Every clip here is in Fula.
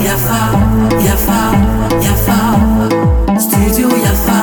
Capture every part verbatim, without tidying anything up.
Yafa, yafa, yafa. Studio Yafa.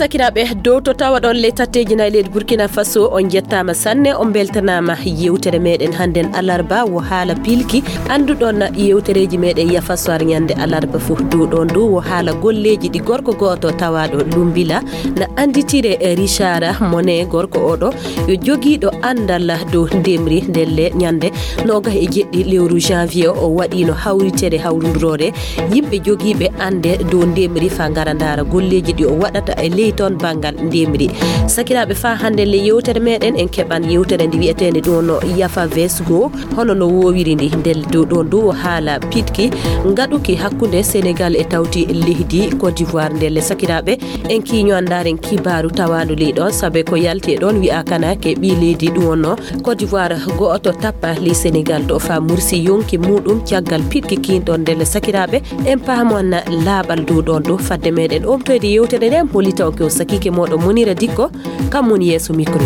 Sakiraaɓe, dow to tawaɗon ley tatteeji nayi leydi Burkina Faso, on njettaama sanne, on mbeltanaama. Yewtere meɗen hannden alarba wo haala pilki. Annduɗon yewtereeji meɗen Yafa Soir ñande alarba fof. Dow ɗoon dow wo haala golleeji ɗi gorko gooto tawaaɗo Lumbila na annditire e Richard Monet. Gorko oɗo yo jogiiɗo anndal dow ndemri. Ndelle ñande noogas e jeɗɗi lewru janvier o waɗiino hawritere hawrunduroore yimɓe jogiiɓe annde dow ndemri fa ngara ndaara golleeji ɗi o waɗata e ley toon banngal ndemri. Sakiraaɓe, faa hannde le yewtere meɗen en keɓan yewtere nde wi'eteende ɗo no Yafa Vesgo, hono no woowiri ndi. Ndelle dow ɗoon dow o haala piɗki ngaɗuki hakkunde Senegal e tawti leydi Côte d'Ivoire. Ndelle sakiraaɓe, en kiiño anndaren kibaaru tawaandu ley ɗoon, sabe ko yalti e ɗoon wi'a kana ke ɓii leydi ɗum wonno Côte d'Ivoire go'oto tappa ley Senegal to fa mursi yonki muɗum caggal piɗki kiin ɗoon. Ndelle sakiraaɓe, en paamon laaɓal dow ɗoon ɗo fadde meɗen omtoyde yewtere nde, en holita on ko sakiike moɗo Monira Dikko, kam woni yeeso micro.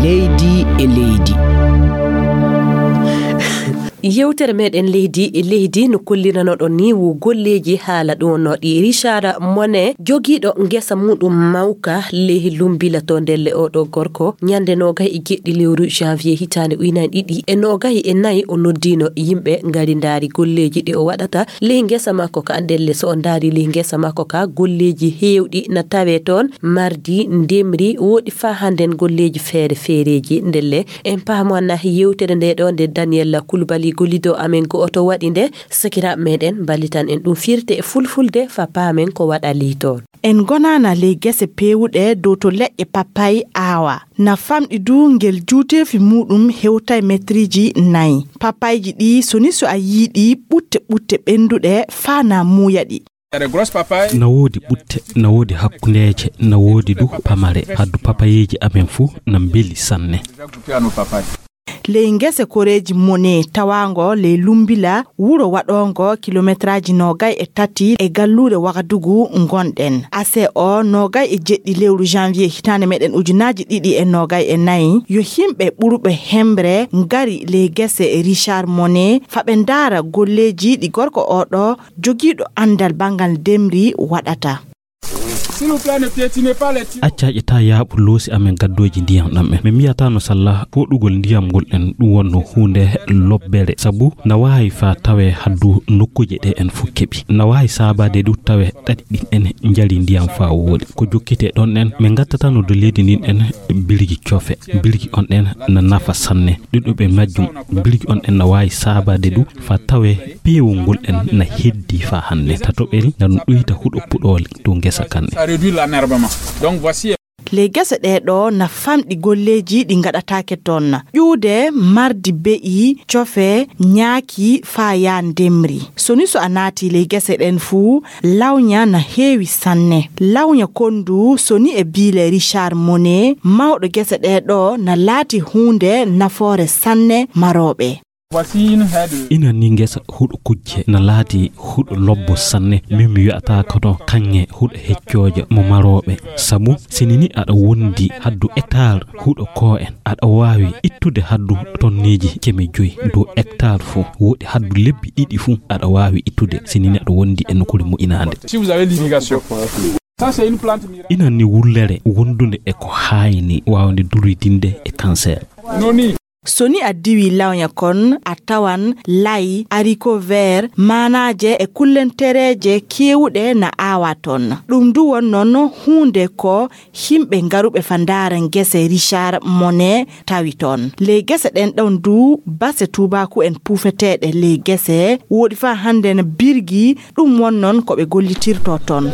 Leydi e leydi. Yewtere meɗen leydi e leydi no kolliranoɗon ni wo golleeji haala ɗo no ɗi Richard Monet jogiiɗo ngesa muɗum mawka ley Lumbila to ndelle oɗo gorko ñande noogas e jeɗɗi lewru janvier hitaande ujunaaji ɗiɗi e noogas e nayi o noddiino yimɓe ngari ndaari golleeji ɗi o waɗata ley ngesa makko ka. Ndelle so o ndaari ley ngesa makko ka golleeji heewɗi na tawe toon, mardi, ndemri, woɗi faa hannden golleeji feere feereeji. Ndelle en paamana yewtere nde ɗo nde Daniel Koulibaly gollido amen go'oto waɗi nde, sakiraaɓe meɗen mballitan en ɗum firte e fulfulde fa paamen ko waɗali toon. En ngonaana ley gese peewuɗe dow to leƴƴe papay aawa. Na famɗi du ngel juuteefi muɗum hewtay metriiji nayi. Papayji ɗi soni so a yiiɗi ɓutte ɓutte ɓennduɗe faa na muuya ɗi. Na woodi ɓutte, na woodi hakkundeeje, na woodi du pamare. Haddu papayeeji amen fuu na mbeli sanne. Ley ngese koreeji Mone tawaango ley Lumbila, wuro waɗoongo kilometraaji noogay e tati e galluure Wagadugu ngonɗen. Ase o noogay e jeɗɗi lewru janvier hitaande meɗen ujunaaji ɗiɗi e noogay e nayi, yo himɓe ɓurɓe hembre ngari ley gese Richard Mone fa ɓe ndaara golleeji ɗi gorko oɗo jogiiɗo anndal banngal ndemri waɗata. Accaƴe ta yaaɓu loosi amen gaddooji ndiyam ɗam en. Min miyata no salla foɗugol ndiyam ngol en ɗum wonno huunde lobbere, sabu na waawi fa tawe haddu nokkuuje ɗe en fof keɓi. Na waawi saabaade du tawe ɗaɗi ɗin en njari ndiyam fa wooɗi. Ko jokkite ɗon en, min ngattatano do leydi ndin en birgi cofe. Birgi on ɗen na nafa sanne. Ɗuɗuɓe majjum, birgi on ɗen na waawi saabaade du fa tawe peewol ngol en na heddi fa hannde. Tatoɓel na ɗum ɗuyta huɗo puɗooli dow ngesa kanɗe. Ça réduit l'enherbement. Donc voici. Ley gese ɗee ɗo na famɗi golleeji ɗi ngaɗataake toon. Ƴuude, mardi be'i, cofe, ñaaki, faa yaa ndemri. Soni so a naati ley gese ɗen fuu, lawña na heewi sanne. Lawña konndu soni e biile Richard Mone, mawɗo gese ɗee ɗo na laati huunde nafoore sanne marooɓe. Inan ni ngesa huɗo kujje na laati huɗo lobbo sanne. Min mi wi'ata kono kaŋŋe huɗo heccoojo mo marooɓe. Sabu sini ni aɗa wondi haddu hectare huɗo ko en, aɗa waawi ittude haddu tonneeji keme joyi dow hectare fof. Woodi haddu lebbi ɗiɗi fof aɗa waawi ittude sini ni aɗa wondi e nokkuure moƴƴinaande. Si vous avez l'irrigation. Ça, c'est une plante miracle. Inan ni wullere wondunde e ko haayni waawde durwidinde e cancer. Noni. So ni a diwi lawña kon, a tawan lay, haricot vert, maanaaje e kullentereeje keewuɗe na aawa ton. Ɗum du won non huunde ko himɓe ngaruɓe fa ndaara ngese Richard Mone tawi ton. Ley gese ɗen ɗon du base tuubaaku en puufeteeɗe ley gese, woɗi fa hannden birgi, ɗum won non ko ɓe gollitirto ton.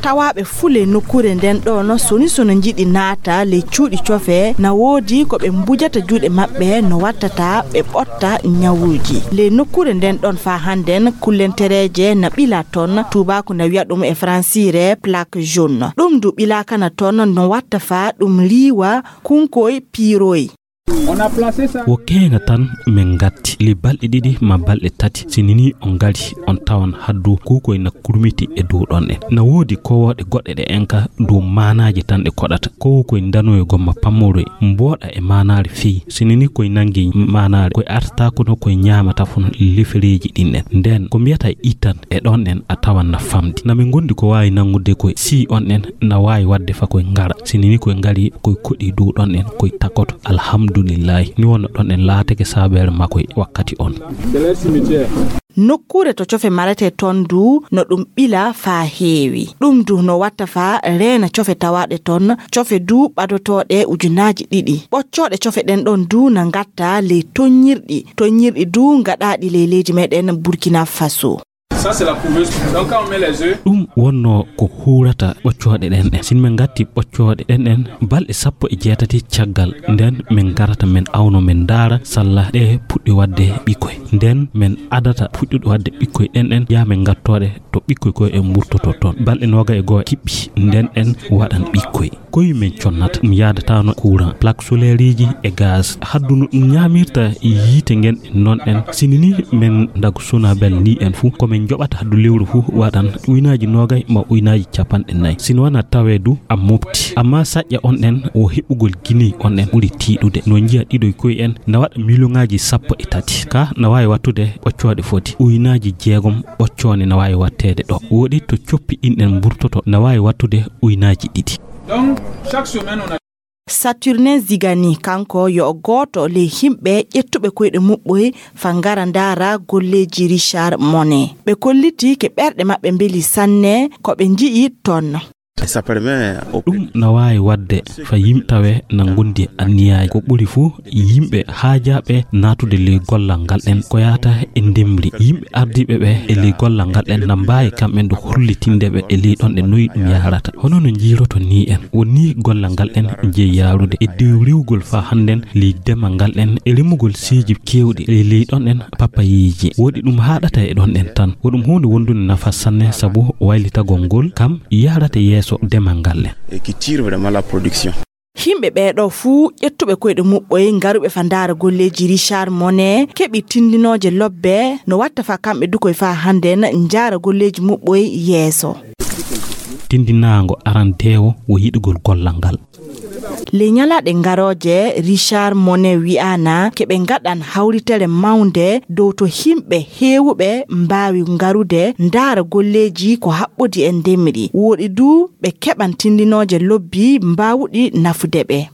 Tawaaɓe fuu ley nokkuure nden ɗon, soni sono njiɗi naata ley cuuɗi cofe, na woodi ko ɓe mbujata juuɗe maɓɓe no wattata ɓe ɓotta ñawuuji. Ley nokkuure nden ɗon faa hannden kullentereeje na ɓila ton, tuubaaku na wi'a ɗum e fransiire plaque jaune. Ɗum du ɓilaakana ton no watta faa ɗum riiwa kunkoy piiroy. Wo keeŋa tan min ngatti, li balɗe ɗiɗi ma balɗe tati, si ni ni on ngari, on tawan haddu kuukoy na kurmiti e dow ɗon en. Na woodi kowooɗe goɗɗe ɗe en ka dow maanaaji tan ɗe koɗata. Kowo koy ndanoyo gomma pammoroy, mbooɗa e maanaare fii. Si ni ni koy nangi maanaare, koy artaako no koy ñaamata fun lifereeji ɗin en. Nden ko mbiyata itan e ɗon en a tawan na famdi. Na min gondi ko waawi nangude koy si on en na waawi wadde fa koy ngara. Si ni ni koy ngari koy koɗi dow ɗon en koy takoto. Alhamdulillahi. Ni wonno ɗon en laatake saabeere makkoy wakkati on. Nokkuure to cofe marete ton du no ɗum ɓila faa heewi. Ɗum du no watta faa reena cofe tawaaɗe ton, cofe du ɓadotooɗe ujunaaji ɗiɗi. Ɓoccooɗe cofe ɗen ɗon du na ngatta ley toññirɗi, toññirɗi du ngaɗaaɗi ley leydi meɗen Burkina Faso. Ɗum wonno ko huurata ɓoccooɗe ɗen ɗen. Sin min ngatti ɓoccooɗe ɗen ɗen balɗe sappo e jeetati caggal nden min ngarata min awno min ndaara salla ɗe puɗɗi wadde ɓikkoy. Nden min adata puɗɗuɗo wadde ɓikkoy ɗen ɗen yaa min ngattooɗe to ɓikkoy koy en mburtoto ton. Balɗe nooga e goo kiɓɓi nden ɗen waɗan ɓikkoy. Koy min connata ɗum yaadataano courant, plaque solaire iji e gaz. Haddu no ɗum ñaamirta yiite ngen non ɗen. Sini ni min ndago suna bel ni en fu ko min joɓata haddu lewru fu waɗan uynaaji noogay ma uynaaji capanɗe nayi. Sini wana tawe du a mofti. Amma saƴƴa on ɗen o heɓugol gini on ɗen ɓuri tiiɗude. No njiya ɗiɗoy koy en na waɗa miliyonaaji sappo e tati. Ka na waawi wattude ɓoccooɗe foti uynaaji jeegom ɓoccoone na waawi watteede ɗo. Woɗi to coppi ɗin ɗen mburtoto na waawi wattude uynaaji ɗiɗi. Saturnin Zigani, kanko yo o gooto ley yimɓe ƴettuɓe koyɗe muɓɓoy fa ngara ndaara golleeji Richard Monet. Ɓe kolliti ke ɓerɗe maɓɓe mbeli sanne ko ɓe nji'i ton. Ɗum na waawi waɗde fa yimɓe tawe na ngondi anniyaaji. Ko ɓuri fuu yimɓe haajaaɓe naatude ley gollal ngal ɗen ko yahata e ndemri. Yimɓe ardiiɓe ɓe e ley gollal ngal ɗen na mbaawi kamɓe nde hollitinde ɓe e ley ɗon ɗe noyi ɗum yahrata. Hono no njiiroto ni en, woni gollal ngal ɗen jeyi yaarude e dow riwgol faa hannden ley demal ngal ɗen e remugol seeji keewɗi e ley ɗon ɗen papayeeji. Woɗi ɗum haaɗata e ɗon ɗen tan. Ko ɗum huunde wondunde nafa sanne sabu waylitagol ngol kam yahrata yeeso demal ngal ɗen. Yimɓe ɓee ɗoo fuu ƴettuɓe koyɗe muɓɓoy ngaruɓe fa ndaara golleeji Richard Monet keɓi tindinooje lobbe no watta fa kamɓe dukoy fa hannden njaara golleeji muɓɓoy yeeso. Tindinaango arandeewo wo yiɗugol gollal ngal. Ley ñalaaɗe ngarooje Richard Monet wi'aana ke ɓe ngaɗan hawritere mawnde dow to yimɓe heewuɓe mbaawi ngarude ndaara golleeji ko haɓɓodi e ndemri. Woɗi du ɓe keɓan tindinooje lobbi mbaawuɗi nafude ɓe.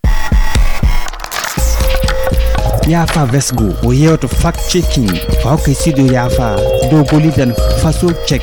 Yaafa Vesgo o yewto fact checking fa hokkay sido yaafa dow golidan faso check.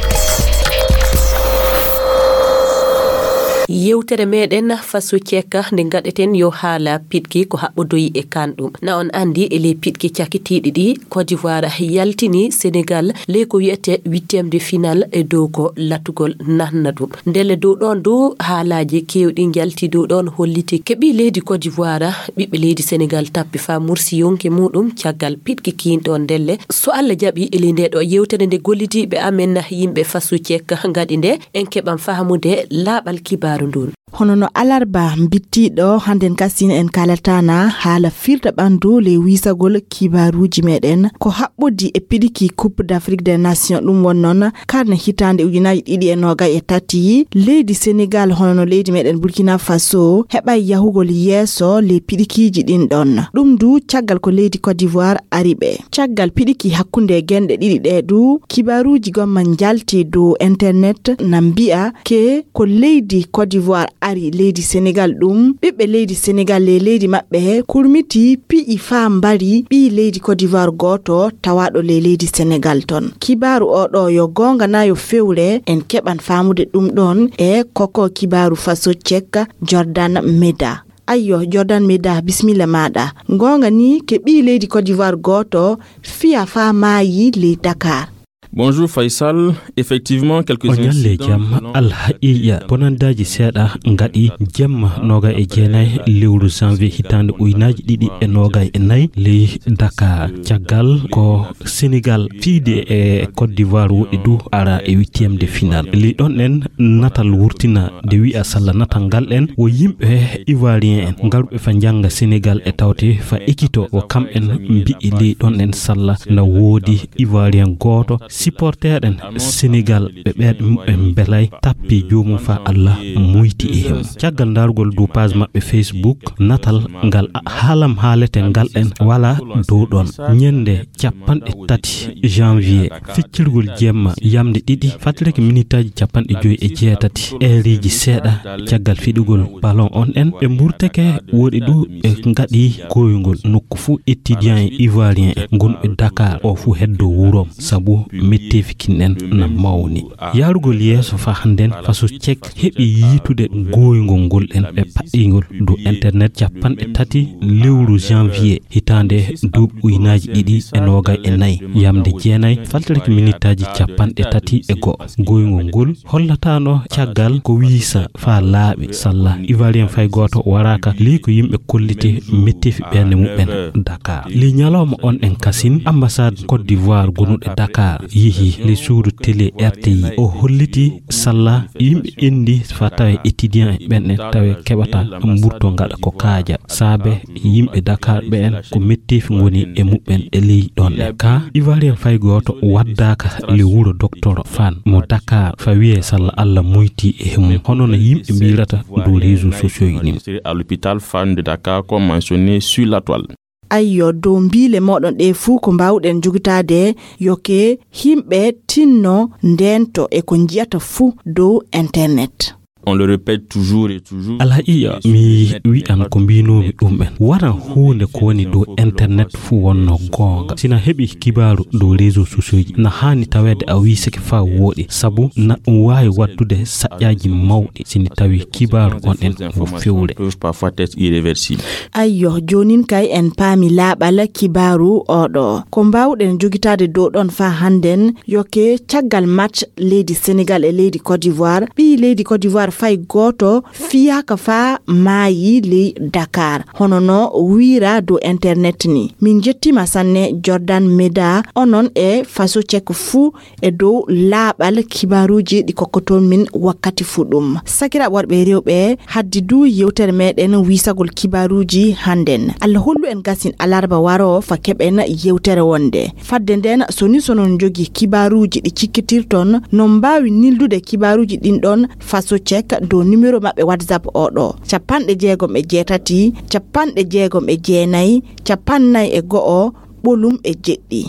Yewtere meɗen faso check nde gaɗeten yo haala piɗki ko haɓɓodoyi e kan ɗum. Na on andi e ley piɗki cakitiiɗi ɗi Côte d'Ivoire yaltini Sénégal ley ko wiyete huitième de finale e dow ko latugol nanna ɗum. Ndelle dow ɗon dow haalaaji keewɗi njalti dow ɗon holliti ke ɓii leydi Côte d'Ivoire ɓiɓɓe leydi Sénégal tappi fa mursi yonki muɗum caggal piɗki kiin ɗon. Ndelle so Allah jaɓi e ley nde ɗo yewtere nde gollidiiɓe amen yimɓe faso check ngaɗi nde en keɓan fahamude laaɓal kibaaru ndun. Hono no alarba mbittiiɗo hannden kasine en kaalataana haala firta ɓanndu ley wiisagol kibaaruuji meɗen ko haɓɓodi e piɗiki Coupe d'Afrique des Nations. Ɗum won noon karne hitaande ujunaaji ɗiɗi e noogay e tati leydi Senegal hono no leydi meɗen Burkina Faso heɓay yahugol yeeso ley piɗikiiji ɗin ɗon. Ɗum du caggal ko leydi Côte d'Ivoire ari ɓe. Caggal piɗiki hakkunde genɗe ɗiɗi ɗe du kibaaruuji gomma njalti dow internet na mbi'a ke ko leydi Côte d'Ivoire ari leydi Senegal ɗum ɓiɓɓe leydi Senegal ley leydi maɓɓe kurmiti pi'i faa mbari ɓii leydi Côte d'Ivoire gooto tawaaɗo ley leydi Senegal ton. Kibaaru o ɗo yo goonga na yo fewre en keɓan faamude ɗum ɗon e koko kibaaru faso cek Jordan Meda. Ayyo Jordan Meda bisimilla maaɗa. Goonga ni ke ɓii leydi Côte d'Ivoire gooto fiya faa maayi ley Dakar. Bonjour Faisal. Effectivement, quelques... O ñalle jam. Alhaqiqa bonandaaji seeɗa ngaɗi jemma nooga e jeenayi lewru janvier hitaande ujunaaji ɗiɗi e noogayi e nayi ley Dakar. Caggal ko Sénégal fiide e Côte d'Ivoire woɗɗi du ara e huitième de finale. Ley ɗon en natal wurtina de wi'a salla natal ngal en wo yimɓe ivoirien en ngarɓe fa njannga Sénégal e tawte fa ekito wo kamɓen mbi'i ley ɗon en salla na woodi ivoirien gooto supporter en Sénégal ɓe ɓeeɗe muɓɓen mbelay tappi joomum fa Allah muyti e him. Caggal ndaarugol dow page maɓɓe Facebook, natal ngal a-, haalam haalete ngal en wala dow ɗon. Ñande capanɗe tati janvier, feccirgol jemma yamde ɗiɗi, fattirake minitaaji capanɗe joyi e jeetati, eereeji seeɗa caggal fiɗugol ballon on en, ɓe mburtake woɗi du ɓe ngaɗi gooyngol nokku fuu étudiant e ivoirien en ngonɓe Dakar o fuu heddo wurom sabu metteefi kin en na mawni. Yaarugol yeeso fa hannden faso cek heɓi yiitude gooyngol ngol en ɓe paɗɗingol dow internet capanɗe tati lewru janvier hitaande duuɓi ujunaaji ɗiɗi e noogay e nayi, yamde jeenayi, faltirki minitaaji capanɗe tati e go'o. Gooyngol ngol hollatano caggal ko wiisa fa laaɓi salla ivoirien fay gooto waraaka, ley ko yimɓe kolliti metteefi ɓernde muɓɓen Dakar. Ley ñalawma on en kasin, ambassade Côte d'Ivoire gonuɗo Dakar yehi ley suudu télé R T I. O holliti salla yimɓe endi fa tawe étudiant ɓen en tawe keɓata mburto ngaɗa ko kaaja. Saabe yimɓe Dakar ɓe en ko metteefi ngoni e muɓɓen e ley ɗon e ka ivoirien fay gooto waddaaka le wuro docteur Fan mo Dakar fa wiye salla Allah muyti e mum. Hono no yimɓe mbirata dow réseaux sociaux yi ni. À l'hôpital Fan de Dakar, comme mentionné sur la toile. Ayyo, dow mbiile moɗon ɗe fuu ko mbaawɗen jogitaade yo ke yimɓe tinno ndeento e ko njiyata fuu dow internet. On le répète toujours et toujours. Alhaqiqa mi wi'an ko mbiinoomi ɗum en. Waran huunde ko woni dow internet fuu wonno goonga. Sina heɓi kibaaru dow réseaux sociaux ji, na haani taweede a wiisake faa wooɗi, sabu na ɗum waawi waɗtude saƴƴaaji mawɗi sini tawi kibaaru on en ko fewre. Peuvent parfois être irréversibles. Ayyo, joonin kay en paami laaɓal kibaaru oɗo. Ko mbaawɗen jogitaade dow ɗon faa hannden, yo ke caggal match leydi Senegal e leydi Côte d'Ivoire, ɓii leydi Côte d'Ivoire fay gooto fiyaaka faa maayi ley Dakar. Hono no wiira dow internet ni. Min njettiima sanne Jordan Meda, onon e Faso Cek fuu e dow laaɓal kibaaruuji ɗi kokkoton min wakkati fuu ɗum. Sakiraaɓe worɓe e rewɓe, haddi du yewtere meɗen wiisagol kibaaruuji hannden. Allah hollu en gasin alarba waro fa keɓen yewtere wonde. Fadde nden, so ni so non jogi kibaaruuji ɗi cikkitirton, non mbaawi nildude kibaaruuji ɗin ɗon Faso Cek dow numéro maɓɓe WhatsApp oɗo, capanɗe jeegom e jeetati, capanɗe jeegom e jeenayi, capannay e go'o, ɓolum e jeɗɗi.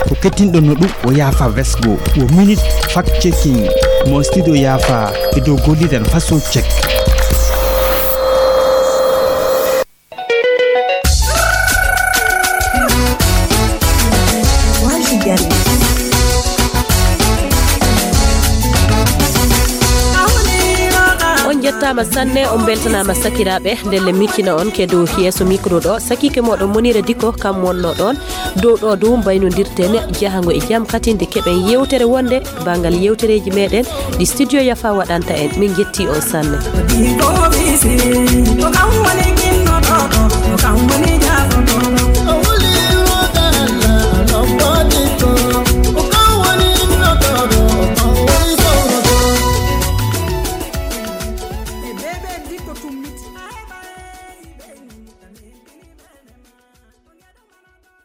Ko kettinɗon no ɗum o yaafa vesgo, wo minute fact checking mo studio yaafa e dow gollidan Faso Cek. On njettaama sanne, on mbeltanaama sakiraaɓe, ndelle miccina on ke dow yeeso micro ɗo, sakiike mooɗon Monira Diko, kam wonno ɗon. Dow ɗo dow mbaynodirten jahango e jam, katinde keɓen yewtere wonde banngal yewtereeji meɗen ɗi studio Yafa waɗanta en. Min njetti on sanne. Ko kam woni kinno ɗo, ko kam woni jaaɗo ɗo.